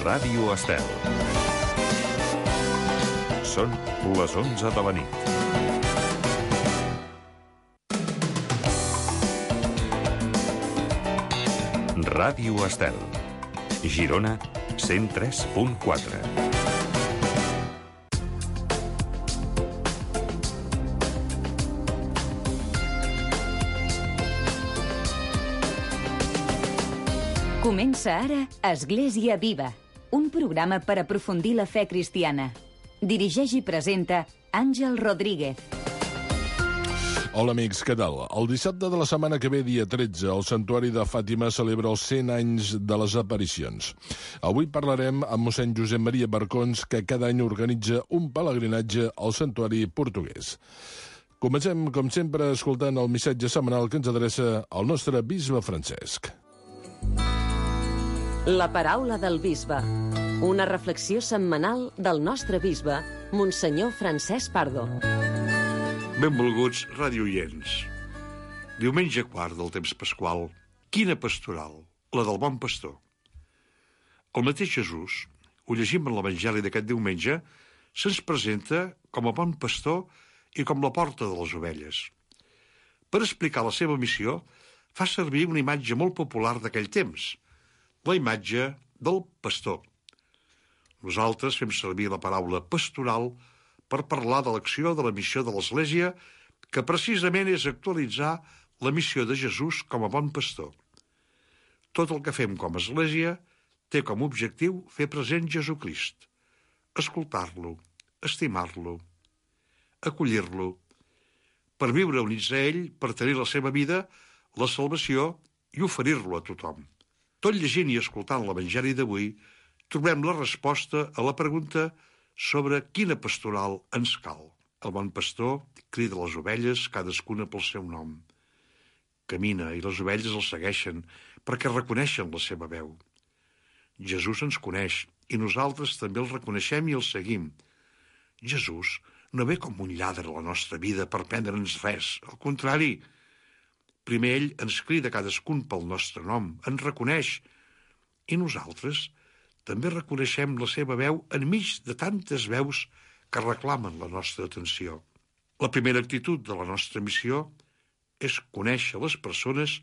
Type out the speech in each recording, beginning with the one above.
Ràdio Estel. Són les 11 de la nit. Ràdio Estel. Girona, 103.4. Comença ara Església Viva, un programa per aprofundir la fe cristiana. Dirigeix i presenta Àngel Rodríguez. Hola amics, què tal? El dissabte de la setmana que ve, dia 13, el Santuari de Fàtima celebra els 100 anys de les aparicions. Avui parlarem amb mossèn Josep Maria Barcons, que cada any organitza un pelegrinatge al santuari portuguès. Comencem, com sempre, escoltant el missatge setmanal que ens adreça el nostre bisbe Francesc. La paraula del bisbe. Una reflexió setmanal del nostre bisbe, Monsenyor Francesc Pardo. Benvolguts radioients. Diumenge quart del temps pasqual. Quina pastoral, la del bon pastor. El mateix Jesús, ho llegim en l'Evangeli d'aquest diumenge, se'ns presenta com a bon pastor i com la porta de les ovelles. Per explicar la seva missió, fa servir una imatge molt popular d'aquell temps, la imatge del pastor. Nosaltres fem servir la paraula pastoral per parlar de l'acció de la missió de l'Església, que precisament és actualitzar la missió de Jesús com a bon pastor. Tot el que fem com a Església té com a objectiu fer present Jesucrist, escoltar-lo, estimar-lo, acollir-lo, per viure units a ell, per tenir la seva vida, la salvació i oferir-lo a tothom. Tot llegint i escoltant l'Evangeli d'avui, trobem la resposta a la pregunta sobre quina pastoral ens cal. El bon pastor crida les ovelles, cadascuna pel seu nom. Camina i les ovelles el segueixen perquè reconeixen la seva veu. Jesús ens coneix i nosaltres també el reconeixem i el seguim. Jesús no ve com un lladre a la nostra vida per prendre'ns res, al contrari. Primer ell ens crida cadascun pel nostre nom, ens reconeix, i nosaltres també reconeixem la seva veu enmig de tantes veus que reclamen la nostra atenció. La primera actitud de la nostra missió és conèixer les persones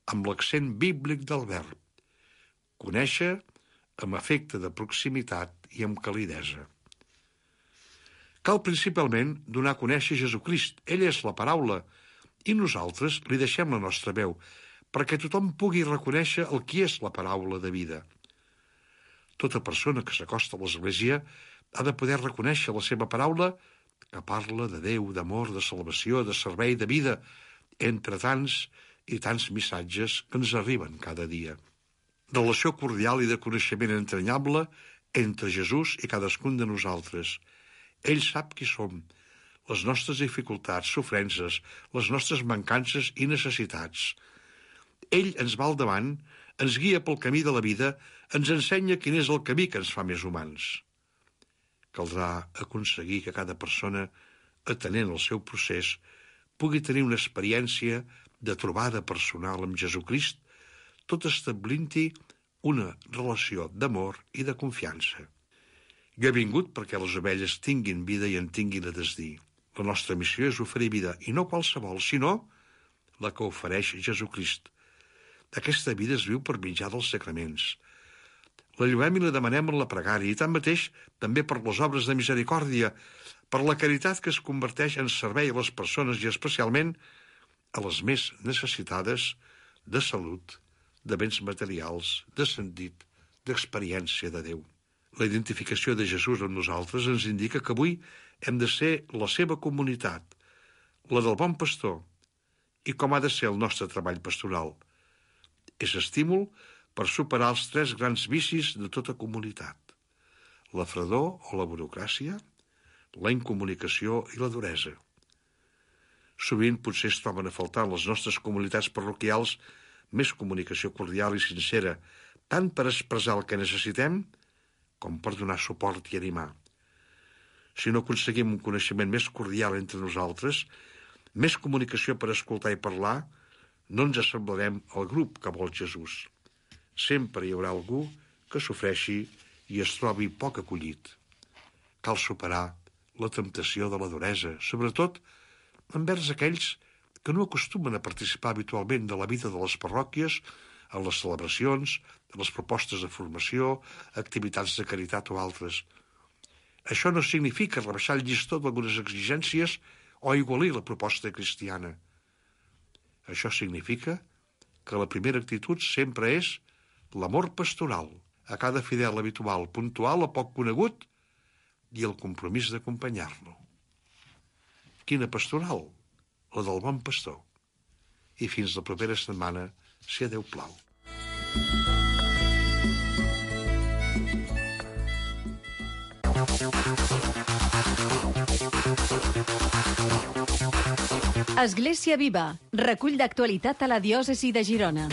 amb l'accent bíblic del verb. Conèixer amb afecte de proximitat i amb calidesa. Cal principalment donar a conèixer Jesucrist. Ell és la paraula, i nosaltres li deixem la nostra veu, perquè tothom pugui reconèixer el qui és la paraula de vida. Tota persona que s'acosta a l'Església ha de poder reconèixer la seva paraula, que parla de Déu, d'amor, de salvació, de servei, de vida, entre tants i tants missatges que ens arriben cada dia. Relació cordial i de coneixement entranyable entre Jesús i cadascun de nosaltres. Ell sap qui som, les nostres dificultats, sofrences, les nostres mancances i necessitats. Ell ens va al davant, ens guia pel camí de la vida, ens ensenya quin és el camí que ens fa més humans. Caldrà aconseguir que cada persona, atenent el seu procés, pugui tenir una experiència de trobada personal amb Jesucrist, tot establint-hi una relació d'amor i de confiança. Jo he vingut perquè les ovelles tinguin vida i en tinguin a desdir. La nostra missió és oferir vida, i no qualsevol, sinó la que ofereix Jesucrist. Aquesta vida es viu per mitjà dels sacraments. La lloem i la demanem en la pregària, i tanmateix també per les obres de misericòrdia, per la caritat que es converteix en servei a les persones i especialment a les més necessitades de salut, de béns materials, de sentit, d'experiència de Déu. La identificació de Jesús amb nosaltres ens indica que avui hem de ser la seva comunitat, la del bon pastor, i com ha de ser el nostre treball pastoral. És estímul per superar els 3 grans vicis de tota comunitat: la fredor o la burocràcia, la incomunicació i la duresa. Sovint potser es troben a faltar en les nostres comunitats parroquials més comunicació cordial i sincera, tant per expressar el que necessitem com per donar suport i animar. Si no aconseguim un coneixement més cordial entre nosaltres, més comunicació per escoltar i parlar, no ens assemblarem al grup que vol Jesús. Sempre hi haurà algú que sofreixi i es trobi poc acollit. Cal superar la temptació de la duresa, sobretot envers aquells que no acostumen a participar habitualment de la vida de les parròquies, en les celebracions, en les propostes de formació, activitats de caritat o altres. Això no significa rebaixar el llistó d'algunes exigències o igualir la proposta cristiana. Això significa que la primera actitud sempre és l'amor pastoral a cada fidel habitual, puntual o poc conegut, i el compromís d'acompanyar-lo. Quina pastoral? La del bon pastor. I fins la propera setmana, si a Déu plau. Església Viva, recull d'actualitat a la diòcesi de Girona.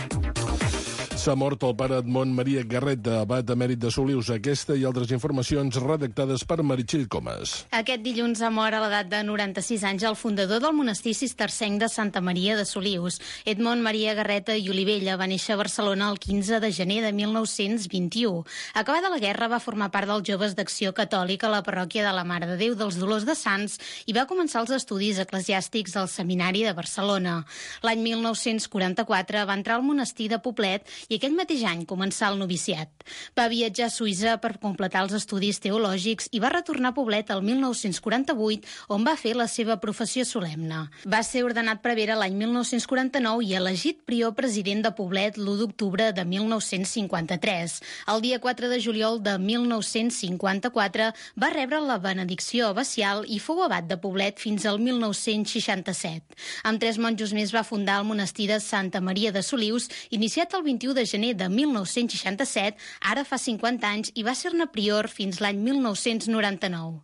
S'ha mort el pare Edmond Maria Garreta, abat emèrit de Solius. Aquesta i altres informacions redactades per Meritxell Comas. Aquest dilluns ha mort a l'edat de 96 anys el fundador del monestir cistercenc de Santa Maria de Solius. Edmond Maria Garreta i Olivella va néixer a Barcelona el 15 de gener de 1921. Acabada la guerra va formar part dels Joves d'Acció Catòlica a la parròquia de la Mare de Déu dels Dolors de Sants i va començar els estudis eclesiàstics al Seminari de Barcelona. L'any 1944 va entrar al monestir de Poblet i aquell mateix any començà el noviciat. Va viatjar a Suïssa per completar els estudis teològics i va retornar a Poblet el 1948, on va fer la seva professió solemne. Va ser ordenat prevere l'any 1949 i elegit prior president de Poblet l'1 d'octubre de 1953. El dia 4 de juliol de 1954 va rebre la benedicció abacial i fou abat de Poblet fins al 1967. Amb 3 monjos més va fundar el monestir de Santa Maria de Solius, iniciat el 21 de gener de 1967, ara fa 50 anys, i va ser-ne prior fins l'any 1999.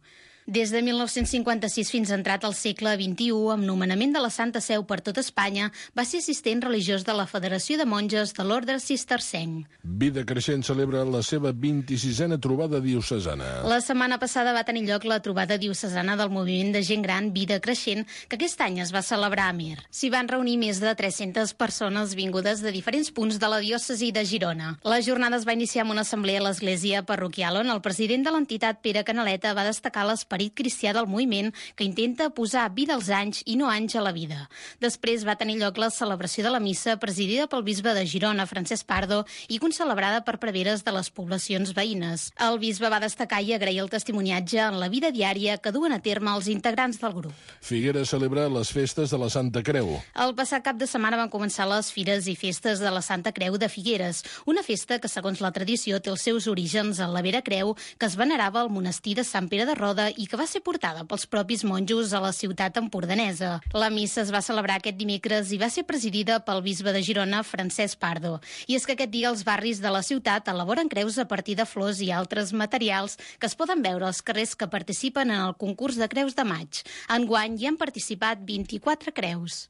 Des de 1956 fins entrat al segle XXI, amb nomenament de la Santa Seu per tot Espanya, va ser assistent religiós de la Federació de Monges de l'Orde Cistercenc. Vida Creixent celebra la seva 26a trobada diocesana. La setmana passada va tenir lloc la trobada diocesana del moviment de gent gran Vida Creixent, que aquest any es va celebrar a Amer. S'hi van reunir més de 300 persones vingudes de diferents punts de la diòcesi de Girona. La jornada es va iniciar amb una assemblea a l'església parroquial, on el president de l'entitat, Pere Canaleta, va destacar l'esperit cristià del moviment, que intenta posar vida als anys i no anys a la vida. Després va tenir lloc la celebració de la missa, presidida pel bisbe de Girona, Francesc Pardo, i concelebrada per preveres de les poblacions veïnes. El bisbe va destacar i agrair el testimoniatge en la vida diària que duen a terme els integrants del grup. Figueres celebra les festes de la Santa Creu. El passat cap de setmana van començar les fires i festes de la Santa Creu de Figueres, una festa que, segons la tradició, té els seus orígens en la Vera Creu, que es venerava al monestir de Sant Pere de Roda i que va ser portada pels propis monjos a la ciutat empordanesa. La missa es va celebrar aquest dimecres i va ser presidida pel bisbe de Girona, Francesc Pardo. I és que aquest dia els barris de la ciutat elaboren creus a partir de flors i altres materials que es poden veure als carrers que participen en el concurs de creus de maig. Enguany hi han participat 24 creus.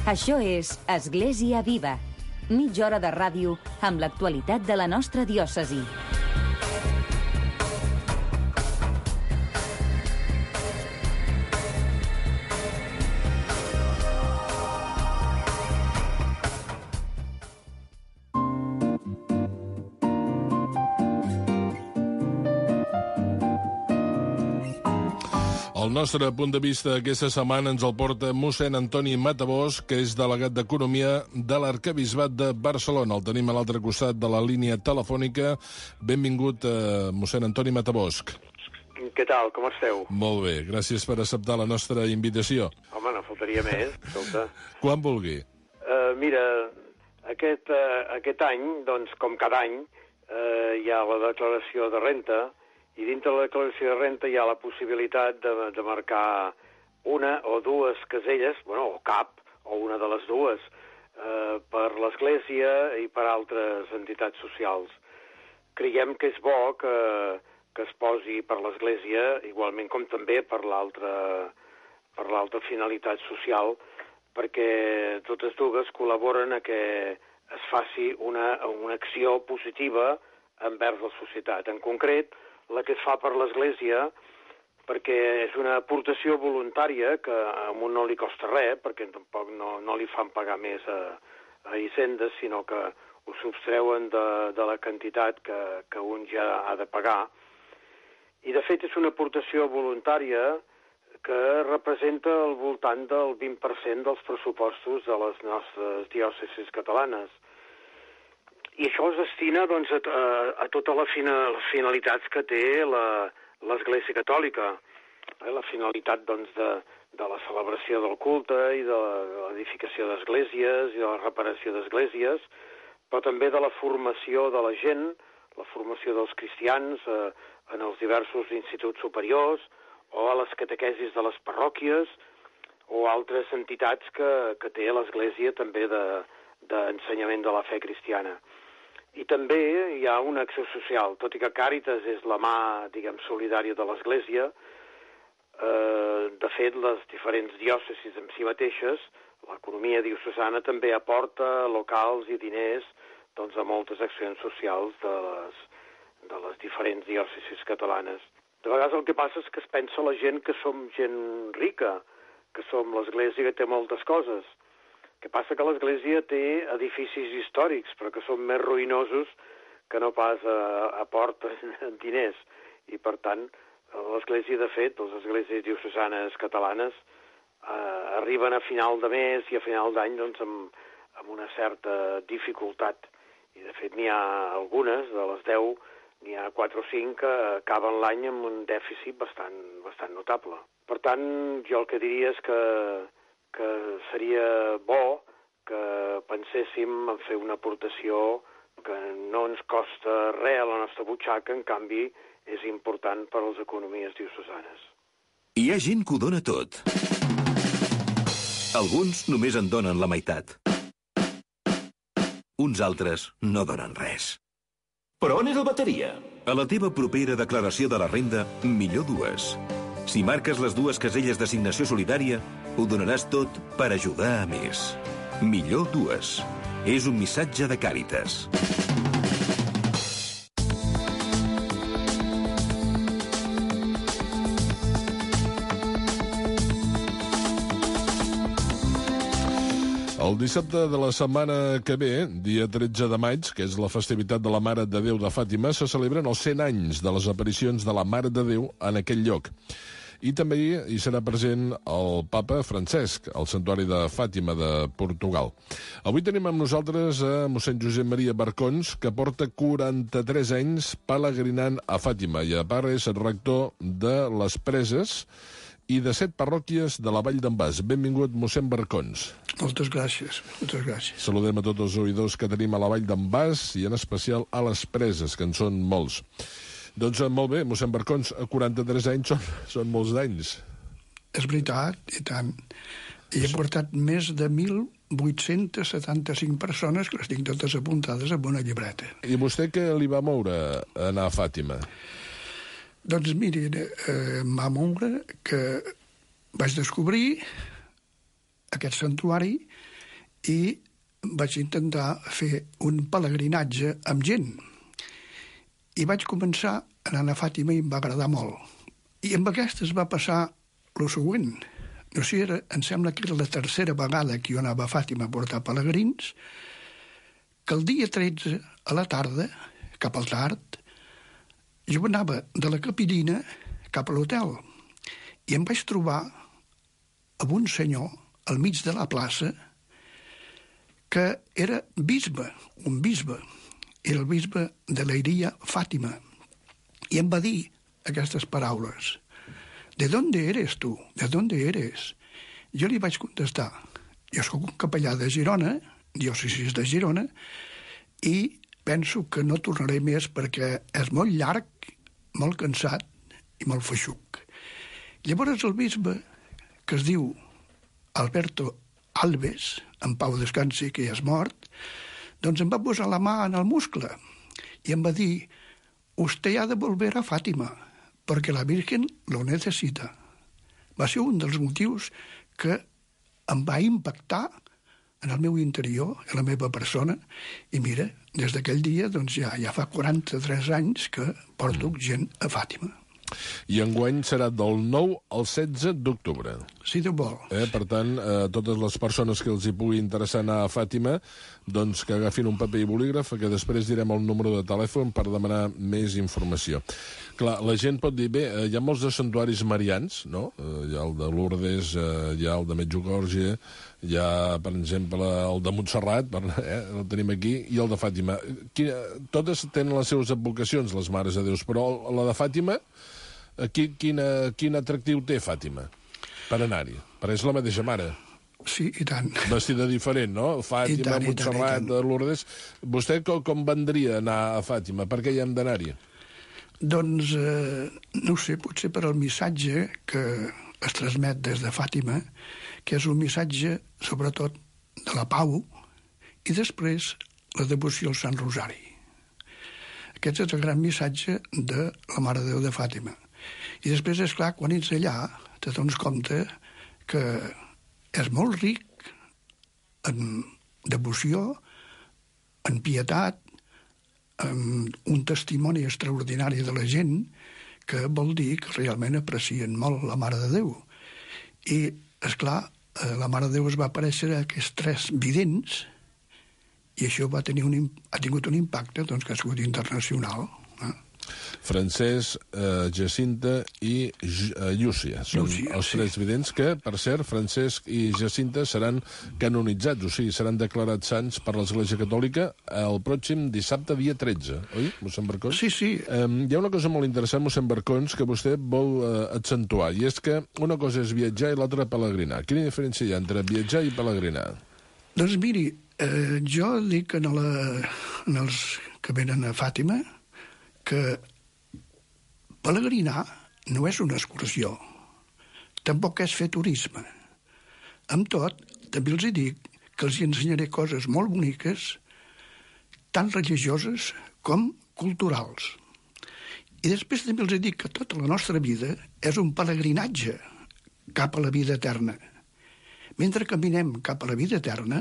Això és Església Viva. Mitja hora de ràdio amb l'actualitat de la nostra diòcesi. El nostre punt de vista aquesta setmana ens el porta mossèn Antoni Matabosc, que és delegat d'Economia de l'Arquebisbat de Barcelona. El tenim a l'altre costat de la línia telefònica. Benvingut, mossèn Antoni Matabosc. Què tal, com esteu? Molt bé, gràcies per acceptar la nostra invitació. Home, no faltaria més, escolta. Quan vulgui. Mira, aquest any, doncs, com cada any, hi ha la declaració de renta, i dintre de la declaració de renta hi ha la possibilitat de marcar una o dues caselles, bueno, o cap, o una de les dues, per l'Església i per altres entitats socials. Creiem que és bo que es posi per l'Església, igualment com també per l'altra finalitat social, perquè totes dues col·laboren a que es faci una acció positiva envers la societat. En concret, la que es fa per l'Església perquè és una aportació voluntària que a un no li costa res, perquè tampoc no li fan pagar més a Hisenda, sinó que ho subtreuen de la quantitat que un ja ha de pagar. I, de fet, és una aportació voluntària que representa al voltant del 20% dels pressupostos de les nostres diòcesis catalanes. I això es destina doncs, a totes les finalitats que té l'Església Catòlica. La finalitat doncs, de la celebració del culte i de l'edificació d'esglésies i de la reparació d'esglésies, però també de la formació de la gent, la formació dels cristians en els diversos instituts superiors o a les catequesis de les parròquies o altres entitats que té l'Església també d'ensenyament de la fe cristiana. I també hi ha una acció social, tot i que Càritas és la mà, diguem, solidària de l'Església. De fet, les diferents diòcesis en si mateixes, l'economia diocesana també aporta locals i diners doncs, a moltes accions socials de les diferents diòcesis catalanes. De vegades el que passa és que es pensa la gent que som gent rica, que som l'Església que té moltes coses. El que passa que l'Església té edificis històrics, però que són més ruïnosos que no pas aporten diners. I, per tant, l'Església, de fet, les esglésies diocesanes catalanes arriben a final de mes i a final d'any doncs, amb una certa dificultat. I, de fet, n'hi ha algunes, de les 10, n'hi ha 4 o 5 que acaben l'any amb un dèficit bastant notable. Per tant, jo el que diria és que seria bo que penséssim en fer una aportació que no ens costa res a la nostra butxaca, en canvi és important per a les economies diocesanes. Hi ha gent que ho dona tot. Alguns només en donen la meitat. Uns altres no donen res. Però on és el bateria? A la teva propera declaració de la renda, millor dues. Si marques les 2 caselles d'assignació solidària, ho donaràs tot per ajudar a més. Millor dues. És un missatge de Càritas. El dissabte de la setmana que ve, dia 13 de maig, que és la festivitat de la Mare de Déu de Fàtima, se celebren els 100 anys de les aparicions de la Mare de Déu en aquell lloc. I també hi serà present el papa Francesc, al santuari de Fàtima de Portugal. Avui tenim amb nosaltres a mossèn Josep Maria Barcons, que porta 43 anys pelegrinant a Fàtima i a part és rector de les Preses i de 7 parròquies de la Vall d'en Bas. Benvingut, mossèn Barcons. Moltes gràcies, moltes gràcies. Saludem a tots els oïdors que tenim a la Vall d'en Bas i en especial a les Preses, que en són molts. Doncs molt bé, mossèn Barcons, 43 anys són molts d'anys. És veritat, i tant. I he portat més de 1.875 persones, que les tinc totes apuntades en una llibreta. I vostè què li va moure a anar a Fàtima? Doncs miri, em va moure que vaig descobrir aquest santuari i vaig intentar fer un pelegrinatge amb gent. I vaig començar anant a Fàtima i em va agradar molt. I amb aquesta es va passar el següent. No sé, em sembla que era la tercera vegada que jo anava a Fàtima a portar pelegrins, que el dia 13, a la tarda, cap al tard, jo anava de la Capellina cap a l'hotel i em vaig trobar amb un senyor al mig de la plaça que era bisbe, un bisbe. Era el bisbe de Leiria, Fàtima. I em va dir aquestes paraules. ¿De dónde eres tú? ¿De dónde eres? Jo li vaig contestar. Jo soc un capellà de Girona, diòcesis de Girona, i penso que no tornaré més perquè és molt llarg, molt cansat i molt feixuc. Llavors el bisbe, que es diu Alberto Alves, en pau descansi, que ja és mort, doncs em va posar la mà en el muscle i em va dir: «Usted ha de volver a Fàtima, perquè la Virgen lo necessita». Va ser un dels motius que em va impactar en el meu interior, en la meva persona, i mira, des d'aquell dia doncs ja fa 43 anys que porto gent a Fàtima. I enguany serà del 9 al 16 d'octubre. Si Déu vol. Per tant, totes les persones que els hi pugui interessar anar a Fàtima, doncs que agafin un paper i bolígraf, que després direm el número de telèfon per demanar més informació. Clar, la gent pot dir, bé, hi ha molts de santuaris marians, no? Hi ha el de Lourdes, hi ha el de Medjugorje, hi ha, per exemple, el de Montserrat, el tenim aquí, i el de Fàtima. Totes tenen les seves advocacions, les Mares de Déus, però la de Fàtima, quin atractiu té Fàtima per anar-hi? Perquè és la mateixa mare. Sí, i tant. Vestida diferent, no? Fàtima, Montserrat, Lourdes... Vostè com vendria anar a Fàtima? Per què hi hem d'anar-hi? Doncs, no ho sé, potser per al missatge que es transmet des de Fàtima, que és un missatge, sobretot, de la pau, i després la devoció al Sant Rosari. Aquest és el gran missatge de la Mare de Déu de Fàtima. I després, és clar, quan ets allà, te dones compte que és molt ric en devoció, en pietat, un testimoni extraordinari de la gent que vol dir que realment aprecien molt la Mare de Déu. I, esclar, la Mare de Déu es va aparèixer a aquests 3 vidents i això ha tingut un impacte doncs, que ha sigut internacional. Francesc, Jacinta i Llúcia. Són els 3 vidents que, per cert, Francesc i Jacinta seran canonitzats, o sigui, seran declarats sants per l'Església Catòlica el pròxim dissabte, dia 13, oi, mossèn Barcons? Sí, sí. Hi ha una cosa molt interessant, mossèn Barcons, que vostè vol accentuar, i és que una cosa és viatjar i l'altra pelegrinar. Quina diferència hi ha entre viatjar i pelegrinar? Doncs miri, jo dic als que venen a Fàtima que pelegrinar no és una excursió, tampoc és fer turisme. Amb tot, també els dic que els ensenyaré coses molt boniques, tant religioses com culturals. I després també els dic que tota la nostra vida és un pelegrinatge cap a la vida eterna. Mentre caminem cap a la vida eterna,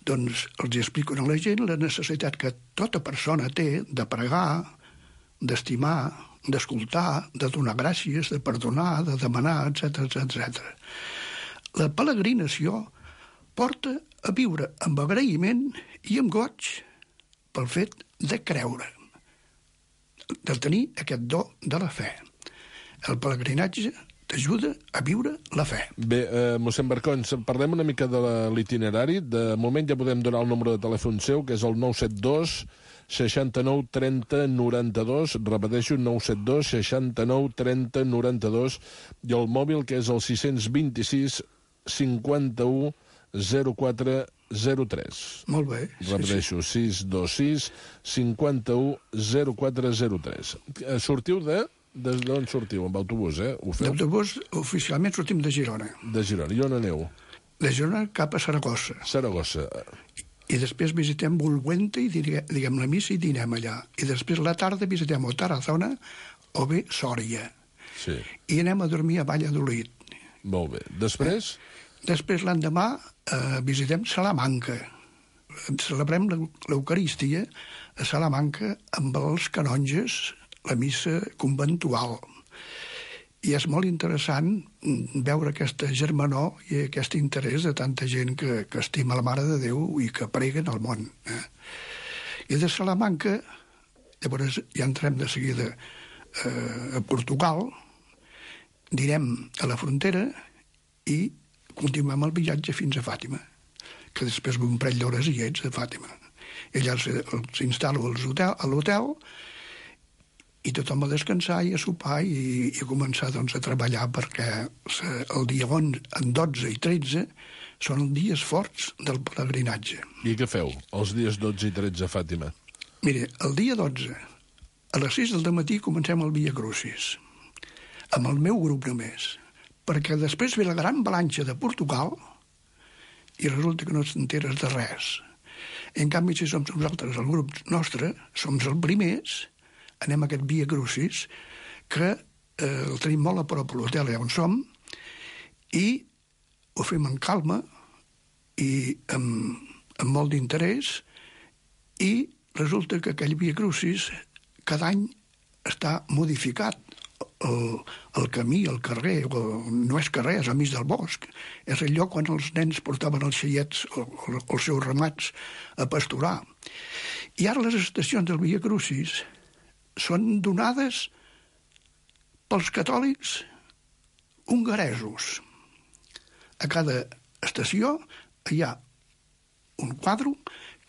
doncs els explico a la gent la necessitat que tota persona té de pregar, d'estimar, d'escoltar, de donar gràcies, de perdonar, de demanar, etc. La peregrinació porta a viure amb agraïment i amb goig pel fet de creure, de tenir aquest do de la fe. El pelegrinatge t'ajuda a viure la fe. Bé, mossèn Barcons, parlem una mica de l'itinerari. De moment ja podem donar el número de telèfon seu, que és el 972 69 30 92, repeteixo, 972 69 30 92, i el mòbil, que és el 626 51 04 03. Molt bé. Repeteixo, 626 51 04 03. Sortiu d'on sortiu? Amb autobús, Ho feu? D'autobús, oficialment sortim de Girona. De Girona. I on aneu? De Girona cap a Saragossa. Saragossa. I després visitem Bulwente i diguem la missa i dinem allà. I després a la tarda visitem o Tarazona o bé Sòria. Sí. I anem a dormir a Valladolid. Molt bé. Després? Després l'endemà visitem Salamanca. Celebrem l'Eucaristia a Salamanca amb els canonges, la missa conventual. I és molt interessant veure aquesta germanor i aquest interès de tanta gent que estima la Mare de Déu i que preguen al món. I de Salamanca, llavors ja entrem de seguida a Portugal, anirem a la frontera i continuem el viatge fins a Fàtima, que després un parell d'hores hi ets a Fàtima. I allà s'instal·lo a l'hotel i tothom a descansar i a sopar i a començar doncs, a treballar perquè el dia 12 i 13 són els dies forts del pelegrinatge. I què feu els dies 12 i 13 a Fàtima? Mire, el dia 12, a les 6 del matí comencem el Via Crucis, amb el meu grup només, perquè després ve la gran avalanxa de Portugal i resulta que no t'enteres de res. En canvi, si som nosaltres, el grup nostre, som els primers, anem a aquest Via Crucis, que el tenim molt a prop a l'hotel on som, i ho fem amb calma i amb molt d'interès, i resulta que aquell Via Crucis cada any està modificat el camí, el carrer, no és carrer, és al mig del bosc. És el lloc on els nens portaven els xaiets o els seus ramats a pasturar. I ara les estacions del Via Crucis són donades pels catòlics hongaresos. A cada estació hi ha un quadre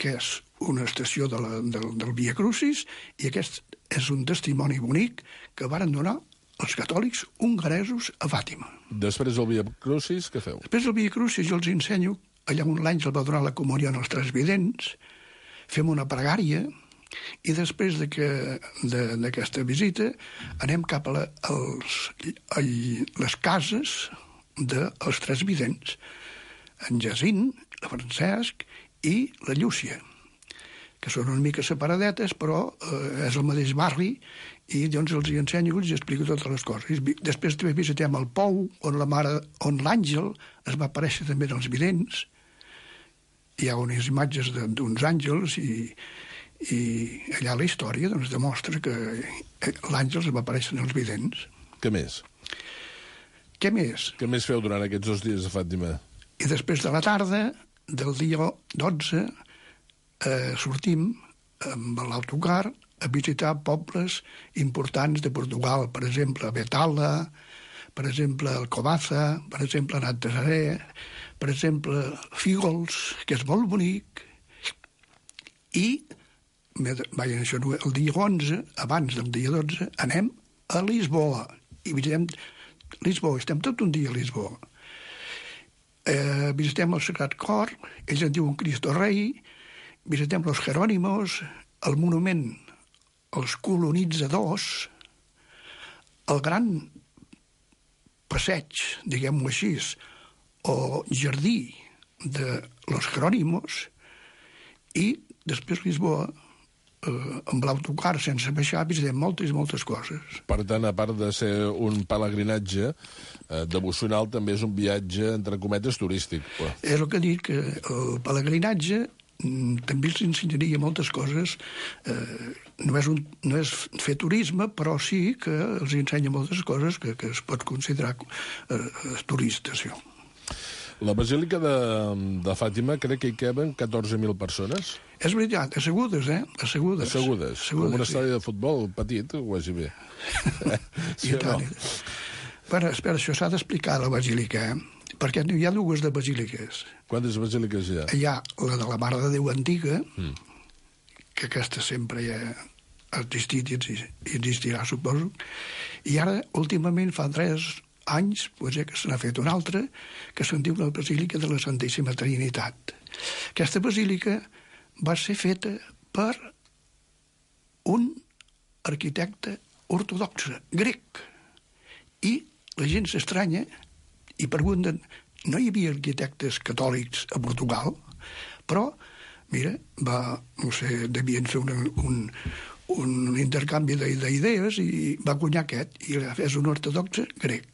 que és una estació del Via Crucis i aquest és un testimoni bonic que varen donar els catòlics hongaresos a Fàtima. Després del Via Crucis, què feu? Després del Via Crucis jo els ensenyo, allà on l'àngel va donar la comunió als tres vidents, fem una pregària i després d'aquesta visita anem cap a les cases dels tres vidents, en Jacint, la Francesc i la Llúcia, que són una mica separadetes, però és el mateix barri, i doncs els hi ensenyo i els explico totes les coses. Després també visitem el Pou, on l'àngel es va aparèixer també en els vidents. Hi ha unes imatges d'uns àngels i allà la història doncs, demostra que l'àngel es va aparèixer en els vidents. Què més? Què més? Què més feu durant aquests 2 dies a Fàtima? I després de la tarda, del dia 12, sortim amb l'autocar a visitar pobles importants de Portugal, per exemple, Betala, per exemple, Alcobaça, per exemple, Natzaret, per exemple, Fígols, que és molt bonic, i el dia 11, abans del dia 12, anem a Lisboa, i visitem Lisboa, estem tot un dia a Lisboa. Visitem el Sagrat Cor, ells en diuen Cristo Rei, visitem los Jerónimos, el monument als colonitzadors, el gran passeig, diguem-ho així, o jardí de los Jerónimos, i després Lisboa, amb l'autocar sense baixar, visitem moltes coses. Per tant, a part de ser un pelegrinatge devocional, també és un viatge, entre cometes, turístic. És el que dic, que el pelegrinatge també els ensenyaria moltes coses. No és fer turisme, però sí que els ensenya moltes coses que es pot considerar turistes. La Basílica de Fàtima, crec que hi caben 14.000 persones. És veritat, assegudes, Assegudes. Com un estadi de futbol petit, quasi bé. Sí o no? Bueno, espera, això s'ha d'explicar a la Basílica, perquè hi ha 2 de basíliques. Quantes basíliques hi ha? Hi ha la de la Mare de Déu Antiga, que aquesta sempre ja ha existit i existirà, suposo, i ara, últimament, fa 3 anys, que se n'ha fet una altra, que se'n diu la Basílica de la Santíssima Trinitat. Aquesta basílica va ser feta per un arquitecte ortodoxe, grec, i la gent s'estranya i pregunten, no hi havia arquitectes catòlics a Portugal? Però, mira, devien fer un intercanvi d'idees i va guanyar aquest, i és un ortodoxe grec.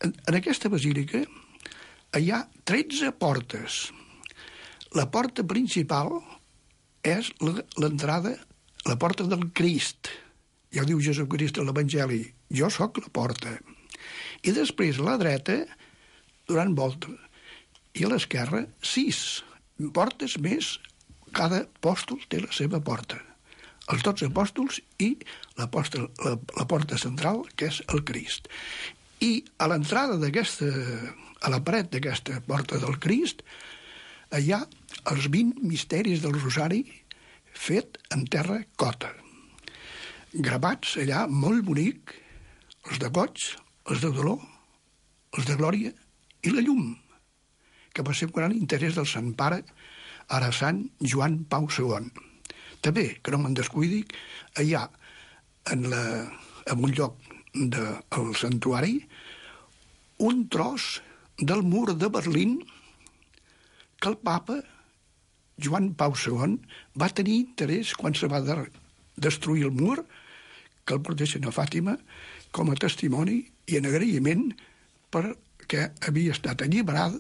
En aquesta basílica hi ha 13 portes. La porta principal és l'entrada, la porta del Crist. Ja ho diu Jesucrist a l'Evangeli, jo sóc la porta. I després a la dreta, donant volta, i a l'esquerra, 6 portes més, cada apòstol té la seva porta. Els 12 apòstols i la porta central, que és el Crist. I a l'entrada a la paret d'aquesta porta del Crist, hi ha els 20 misteris del Rosari fet en terra cota. Gravats allà, molt bonic, els de goig, els de dolor, els de glòria i la llum, que va ser un gran interès del Sant Pare, ara Sant Joan Pau II. També, que no me'n descuidi, hi ha en un lloc del santuari un tros del mur de Berlín que el papa Joan Pau II va tenir interès quan se va destruir el mur, que el portessin a Fàtima com a testimoni i en agraïment perquè havia estat alliberada,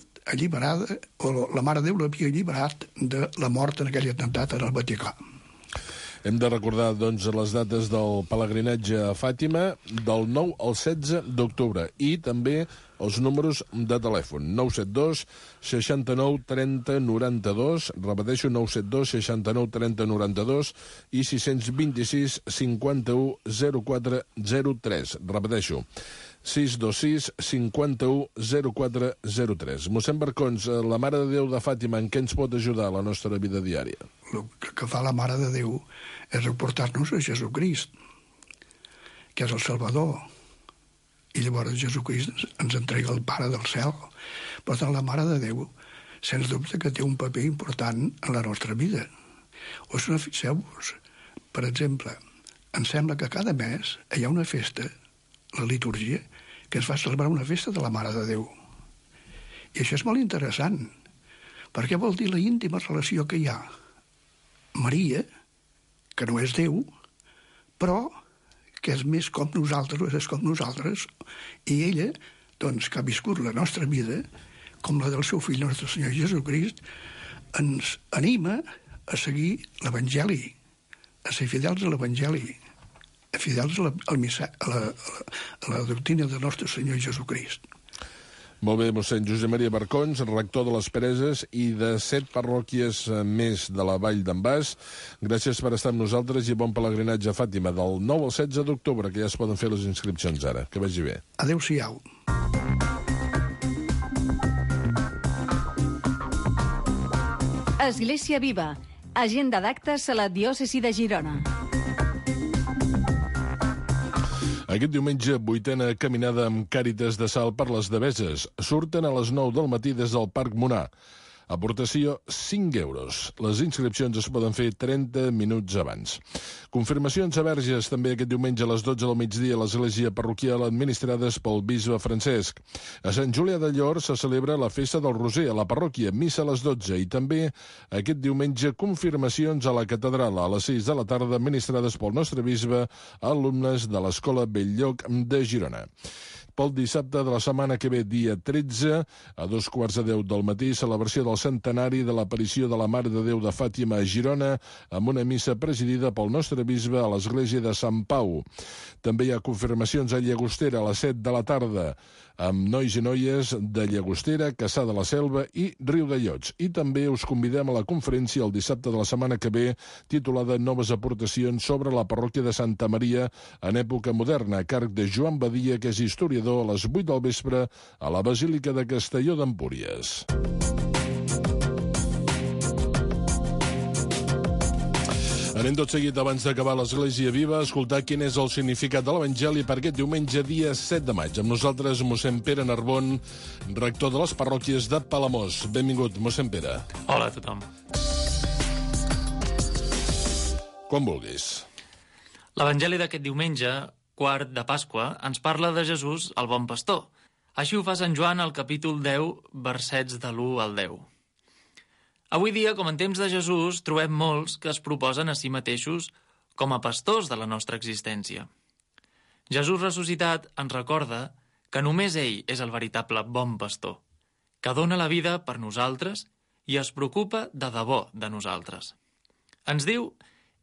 o la Mare de Déu l'havia alliberat de la mort en aquell atemptat en el Vaticà. Hem de recordar, doncs, les dates del pelegrinatge a Fàtima del 9 al 16 d'octubre i també els números de telèfon 972 69 30 92, repeteixo 972 69 30 92 i 626 51 04 03, repeteixo 626 51 04 03. Mossèn Barcons, la Mare de Déu de Fàtima, en què ens pot ajudar a la nostra vida diària? El que fa la Mare de Déu és aportar-nos a Jesucrist, que és el Salvador. I llavors Jesucrist ens entrega el Pare del cel. Per tant, la Mare de Déu, sens dubte que té un paper important en la nostra vida. O si no, fixeu-vos, per exemple, em sembla que cada mes hi ha una festa, la litúrgia, que ens fa celebrar una festa de la Mare de Déu. I això és molt interessant, perquè vol dir la íntima relació que hi ha Maria, que no és Déu, però que és més com nosaltres, és com nosaltres, i ella, doncs, que ha viscut la nostra vida, com la del seu fill, nostre Senyor Jesucrist, ens anima a seguir l'Evangeli, a ser fidels a l'Evangeli, fidels a la doctrina del nostre Senyor Jesucrist. Molt bé, mossèn Josep Maria Barcons, rector de les Preses i de 7 parròquies més de la Vall d'en Bas. Gràcies per estar amb nosaltres i bon pelegrinatge a Fàtima del 9 al 16 d'octubre, que ja es poden fer les inscripcions ara. Que vagi bé. Adéu-siau. Església Viva. Agenda d'actes a la diòcesi de Girona. Aquest diumenge, 8a caminada amb Càritas de Salt per les Deveses. Surten a les 9 del matí des del Parc Monar. Aportació 5 euros. Les inscripcions es poden fer 30 minuts abans. Confirmacions a verges també aquest diumenge a les 12 del migdia a l'església parroquial administrades pel bisbe Francesc. A Sant Julià del Llor se celebra la festa del Roser a la parròquia, missa a les 12 i també aquest diumenge confirmacions a la catedral a les 6 de la tarda administrades pel nostre bisbe a alumnes de l'Escola Belllloc de Girona. Pel dissabte de la setmana que ve, dia 13, a 2:15 del matí, celebració del centenari de l'aparició de la Mare de Déu de Fàtima a Girona, amb una missa presidida pel nostre bisbe a l'església de Sant Pau. També hi ha confirmacions a Llagostera a les 7 de la tarda, amb nois i noies de Llagostera, Cassà de la Selva i Riudellots. I també us convidem a la conferència el dissabte de la setmana que ve, titulada Noves aportacions sobre la parròquia de Santa Maria en època moderna, a càrrec de Joan Badia, que és historiador, a les 8 del vespre a la Basílica de Castelló d'Empúries. Anem tot seguit, abans d'acabar l'Església Viva, a escoltar quin és el significat de l'Evangeli per aquest diumenge, dia 7 de maig. Amb nosaltres, mossèn Pere Narbon, rector de les parròquies de Palamós. Benvingut, mossèn Pere. Hola a tothom. Quan vulguis. L'Evangeli d'aquest diumenge, quart de Pasqua, ens parla de Jesús, el bon pastor. Així ho fa Sant Joan al capítol 10, versets de l'1 al 10. Avui dia, com en temps de Jesús, trobem molts que es proposen a si mateixos com a pastors de la nostra existència. Jesús ressuscitat ens recorda que només ell és el veritable bon pastor, que dona la vida per nosaltres i es preocupa de debò de nosaltres. Ens diu,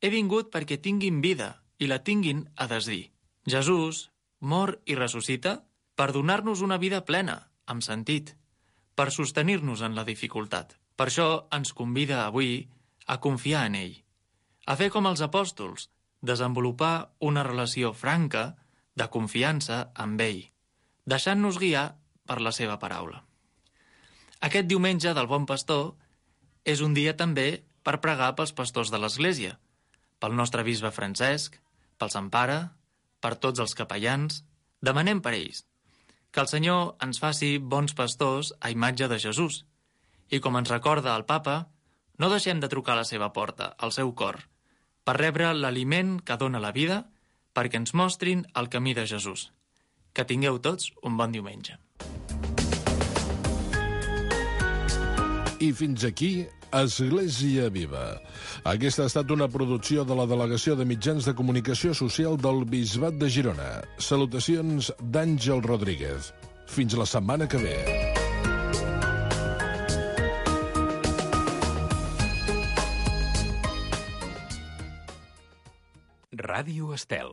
he vingut perquè tinguin vida i la tinguin a desdir. Jesús mor i ressuscita per donar-nos una vida plena, amb sentit, per sostenir-nos en la dificultat. Per això ens convida avui a confiar en ell, a fer com els apòstols, desenvolupar una relació franca de confiança amb ell, deixant-nos guiar per la seva paraula. Aquest diumenge del Bon Pastor és un dia també per pregar pels pastors de l'Església, pel nostre bisbe Francesc, pel Sant Pare, per tots els capellans. Demanem per ells que el Senyor ens faci bons pastors a imatge de Jesús. I com ens recorda el Papa, no deixem de trucar a la seva porta, al seu cor, per rebre l'aliment que dona la vida, perquè ens mostrin el camí de Jesús. Que tingueu tots un bon diumenge. I fins aquí, Església Viva. Aquesta ha estat una producció de la Delegació de Mitjans de Comunicació Social del Bisbat de Girona. Salutacions d'Àngel Rodríguez. Fins la setmana que ve. Ràdio Estel.